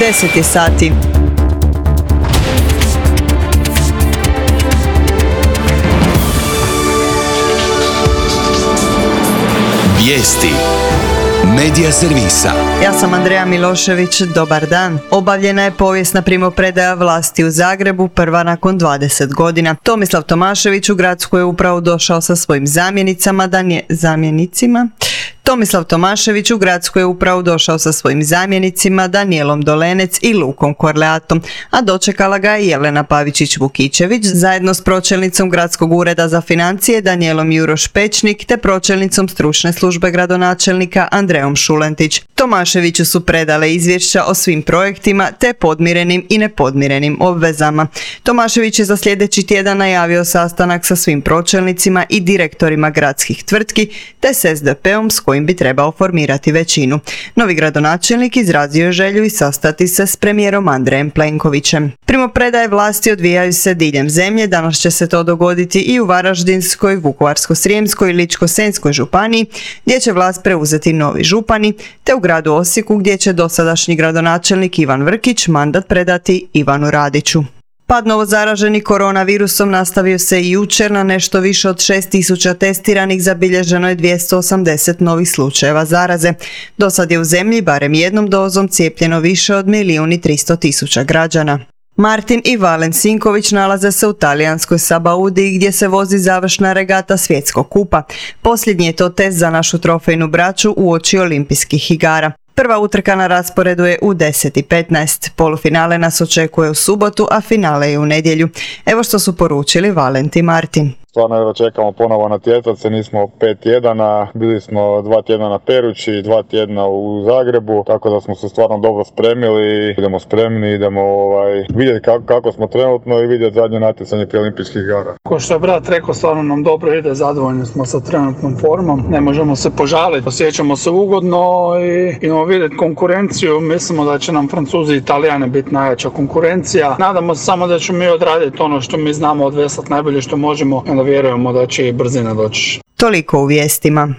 10 je sati. Vijesti Medija servisa. Ja sam Andreja Milošević, dobar dan. Obavljena je povijesna primopredaja vlasti u Zagrebu, prva nakon 20 godina. Tomislav Tomašević u gradsku je upravu došao sa svojim zamjenicima Danijelom Dolenec i Lukom Korleatom, a dočekala ga je Jelena Pavičić-Vukičević zajedno s pročelnicom Gradskog ureda za financije Danijelom Juroš-Pečnik te pročelnicom stručne službe gradonačelnika Andrejom Šulentić. Tomaševiću su predale izvješća o svim projektima te podmirenim i nepodmirenim obvezama. Tomašević je za sljedeći tjedan najavio sastanak sa svim pročelnicima i direktorima gradskih tvrtki te s SDP-om s kojim bi trebao formirati većinu. Novi gradonačelnik izrazio je želju i sastati se s premijerom Andrejem Plenkovićem. Primopredaje vlasti odvijaju se diljem zemlje, danas će se to dogoditi i u Varaždinskoj, Vukovarsko-srijemskoj i Ličko-senjskoj županiji, gdje će vlast preuzeti novi župani, te u gradu Osijeku gdje će dosadašnji gradonačelnik Ivan Vrkić mandat predati Ivanu Radiću. Pad novozaraženih koronavirusom nastavio se i jučer. Na nešto više od 6.000 testiranih zabilježeno je 280 novih slučajeva zaraze. Do sad je u zemlji barem jednom dozom cijepljeno više od 1.300.000 građana. Martin i Valen Sinković nalaze se u talijanskoj Sabaudi gdje se vozi završna regata svjetskog kupa. Posljednji je to test za našu trofejnu braću uoči olimpijskih igara. Prva utrka na rasporedu je u 10:15. Polufinale nas očekuje u subotu, a finale je u nedjelju. Evo što su poručili Valent i Martin. Stvarno evo čekamo ponovo natjecati se, nismo 5 tjedana, bili smo 2 tjedna na Perući, 2 tjedna u Zagrebu, tako da smo se stvarno dobro spremili, idemo spremni, idemo vidjeti kako smo trenutno i vidjeti zadnje natjecanje prije olimpijskih igara. Ko što je brat rekao, stvarno nam dobro ide, zadovoljni smo sa trenutnom formom, ne možemo se požaliti, osjećamo se ugodno i idemo vidjeti konkurenciju, mislimo da će nam Francuzi i Italijani biti najjača konkurencija, nadamo se samo da ćemo mi odraditi ono što mi znamo odveslati najbolje što možemo, vjerujemo da će i brzina doći. Toliko u vijestima.